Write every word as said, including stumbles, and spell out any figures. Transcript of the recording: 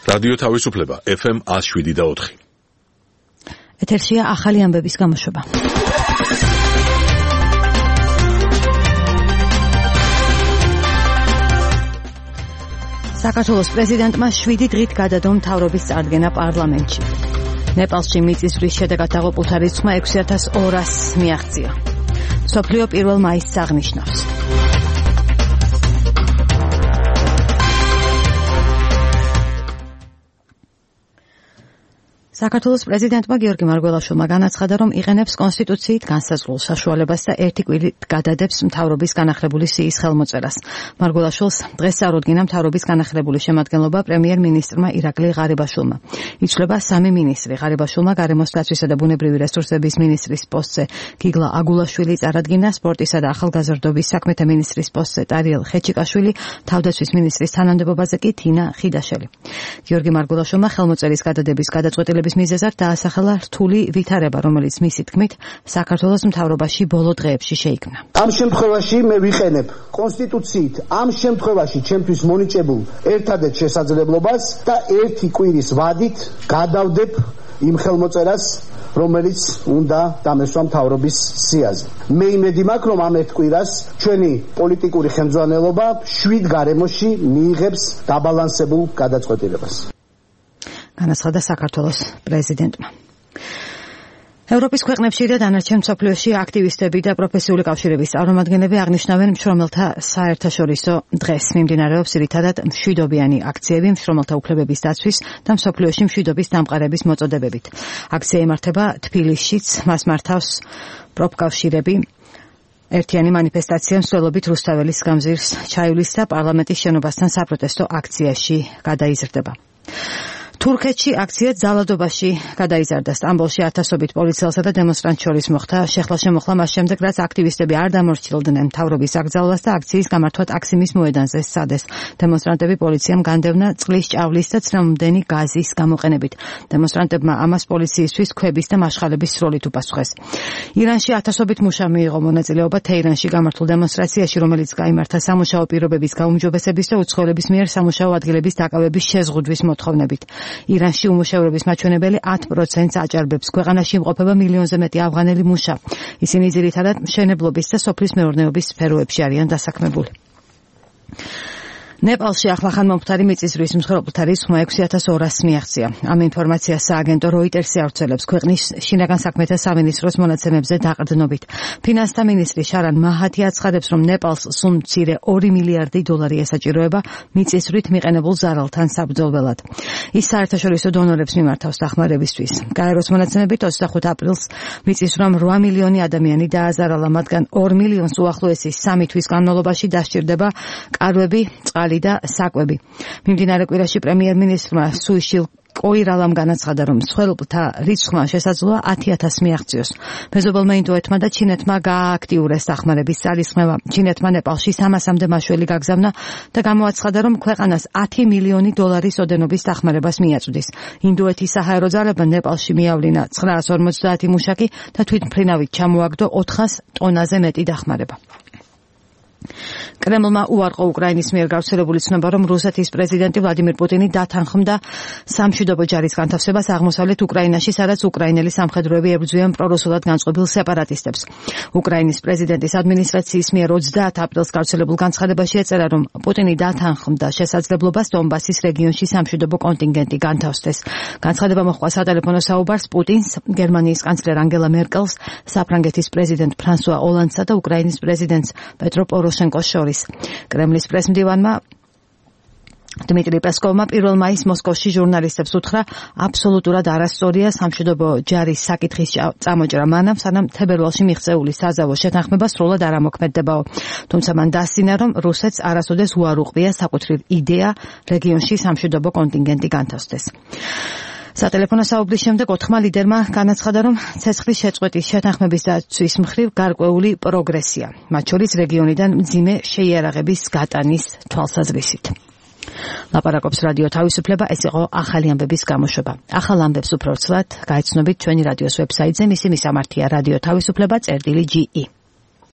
რადიო თავისუფლება ეფ ემ one oh seven და four. ეთერშია ახალი ამბების გამოშვება. საქართველოს პრეზიდენტმა შვიდი დღით გადადო მთავრობის წარდგენა პარლამენტში. ნეპალში მიწისძვრის შედეგად დაღუპულთა რიცხვმა ექვსი ათას ორას მიაღწია. მსოფლიო პირველ მაისს აღნიშნავს. საქართველოს პრეზიდენტმა გიორგი მარგველაშვილმა განაცხადა, რომ იყენებს კონსტიტუციით განსაზღვრულ საშუალებას და ერთი კვირით გადადებს მთავრობის განახლებული სიის ხელმოწერას. მარგველაშვილს დღეს წარუდგინა მთავრობის განახლებული შემადგენლობა პრემიერ-მინისტრმა ირაკლი ღარიბაშვილმა. იცვლება სამი მინისტრი. ღარიბაშვილმა გარემოს დაცვისა და ბუნებრივი რესურსების მინისტრის პოსტზე გიგლა აგულაშვილი წარადგინა, სპორტისა და ახალგაზრდობის საქმეთა მინისტრის პოსტზე ტარიელ ხეჩიკაშვილი, თავდაცვის მინისტრის თანამდებობაზე კი თინა ხიდაშელი. გიორგი მარგველაშვილმა ხელმოწერის გადადების გადაწყვეტილება მიზეზად დაასახელა რთული ვითარება, რომელიც მისი თქმით საქართველოს მთავრობაში ბოლო დღეებში შეიქმნა. ამ შემთხვევაში მე ვიყენებ კონსტიტუციით ამ შემთხვევაში ჩემთვის მონიჭებულ ერთადერთ შესაძლებლობას და ერთი კვირის ვადით გადავდებ იმ ხელმოწერას, რომელიც უნდა დამესვა მთავრობის სიაზე. მე იმედი მაქვს, რომ ამ ერთ კვირას ჩვენი პოლიტიკური ხელმძღვანელობა შვიდ გარემოში მიიღებს დაბალანსებულ გადაწყვეტილებას. განაცხადა საქართველოს პრეზიდენტმა. ევროპის ქვეყნებში და დანარჩენ მსოფლიოში აქტივისტები და პროფესიული კავშირების წარმომადგენლები აღნიშნავენ მშრომელთა საერთაშორისო დღეს. მიმდინარეობს ძირითადად მშვიდობიანი აქციები მშრომელთა უფლებების დაცვის და მსოფლიოში მშვიდობის დამყარების მოწოდებებით. აქცია იმართება თბილისშიც, მას მართავს პროფკავშირები. ერთიანი მანიფესტაცია მსვლელობით რუსთაველის გამზირს ჩაივლის და პარლამენტის შენობასთან საპროტესტო აქციაში გადაიზრდება. თურქეთში აქცია ძალადობაში გადაიზარდა. სტამბოლში ათასობით პოლიციელსა და დემონსტრანტს შორის მოხდა შეხლა-შემოხლა მას შემდეგ, რაც აქტივისტები არ დამორჩილდნენ მთავრობის აკრძალვას და აქციის გამართვა ტაქსიმის მოედანზე სცადეს. დემონსტრანტები პოლიციამ განდევნა წყლის ჭავლის და ცრემლმდენი გაზის გამოყენებით. დემონსტრანტებმა ამას პოლიციისთვის ქვების და მასშალების სროლით უპასუხეს. ირანში ათასობით მუშა მიიღო მონაწილეობა თეირანში გამართულ დემონსტრაციაში, რომელიც გაიმართა სამუშაო პირობების გაუმჯობესების და უცხოელების მიერ სამუშაო ადგილების დაკავების შეზღუდვის მოთხოვნებით. ირანში უმუშევრობის მაჩვენებელი ათ პროცენტს აჭარბებს. ქვეყანაში იმყოფება მილიონზე მეტი ავღანელი მუშა. ისინი ძირითადად მშენებლობის და სოფლის მეურნეობის სფეროებში არიან დასაქმებული. ნეპალში ახლახან მომხდარი მიწისძვრის მსხვერპლთა რიცხვმა ექვსი ათას ორას მიაღწია. ამ ინფორმაციას სააგენტო როიტერსი ავრცელებს ქვეყნის შინაგან საქმეთა სამინისტროს მონაცემებზე დაყრდნობით. ფინანსთა მინისტრი შარან მაჰათი აცხადებს, რომ ნეპალს სულ მცირე ორი მილიარდი დოლარი ესაჭიროება მიწისძვრით მიყენებულ ზარალთან საბრძოლველად. ის საერთაშორისო დონორებს მიმართავს დახმარებისთვის. გაეროს მონაცემებით ოცდახუთ აპრილს მიწისძვრამ რვა მილიონი ადამიანი დააზარალა, მათგან ორ მილიონს უახლოესი სამი თვის განმავლობაში დასჭირდება კარვები, წყალი და საკვები. მიმდინარე კვირაში პრემიერ-მინისტრმა სუიშილ კოირალამ განაცხადა, რომ მსხვერპლთა რიცხვმა შესაძლოა ათი ათასს მიაღწიოს. მეზობელმა ინდოეთმა და ჩინეთმა გაააქტიურეს დახმარების ძალისხმევა. ჩინეთმა ნეპალში სამასამდე მაშველი გაგზავნა და გამოაცხადა, რომ ქვეყანას ათი მილიონი დოლარის ოდენობის დახმარებას მიაწვდის. ინდოეთის საჰაერო ძალებმა ნეპალში მიავლინა ცხრაას ორმოცდაათი მუშაკი და თვითმფრინავით ჩამოაგდო ოთხას ტონაზე მეტი დახმარება. კრემლმა უარყო უკრაინის მიერ გავრცელებული ცნობა, რომ რუსეთის პრეზიდენტი ვლადიმირ პუტინი დათანხმდა სამშვიდობო ჯარის განთავსებას აღმოსავლეთ უკრაინაში, სადაც უკრაინელი სამხედროები ებრძვიან პრორუსულად განწყობილ სეპარატისტებს. უკრაინის პრეზიდენტის ადმინისტრაციის მიერ ოცდაათ აპრილს გავრცელებულ განცხადებაში ეწერა, რომ პუტინი დათანხმდა შესაძლებლობას დონბასის რეგიონში სამშვიდობო კონტინგენტი განთავსდეს. განცხადება მოჰყვა სატელეფონო საუბარს პუტინს, გერმანიის კანცლერ ანგელა მერკელს, საფრანგეთის პრეზიდენტ ფრანსუა ოლანდსა და უკრაინის პრეზიდენტს პეტრო პოროშენკოს შორის. კრემლის პრესმდივანმა დმიტრი პესკოვმა პირველ მაისს მოსკოვში ჟურნალისტებს უთხრა, აბსოლუტურად არასწორია სამშვიდობო ჯარის საკითხის წამოჭრა მანამ, სანამ თებერვალში მიღწეული საზავო შეთანხმება სრულად არ ამოქმედებაო. თუმცა მან დასცინა, რომ რუსეთს არასოდეს უარ უყრია საკუთრივ იდეა რეგიონში სამშვიდობო კონტინგენტი განთავსდეს. სატელეფონო საუბრის შემდეგ ოთხმა ლიდერმა განაცხადა, რომ ცეცხლის შეწყვეტის შეთანხმების დაცვის მხრივ გარკვეული პროგრესია, მათ შორის რეგიონიდან მძიმე შეიარაღების გატანის თვალსაზრისით. ლაპარაკობს რადიო თავისუფლება, ეს იყო ახალი ამბების გამოშვება. ახალ ამბებს უფრო ცვლად გაიცნობთ ჩვენი რადიოს ვებსაიტზე, მისი მისამართია რადიო თავისუფლება წერტილი ჯი ი.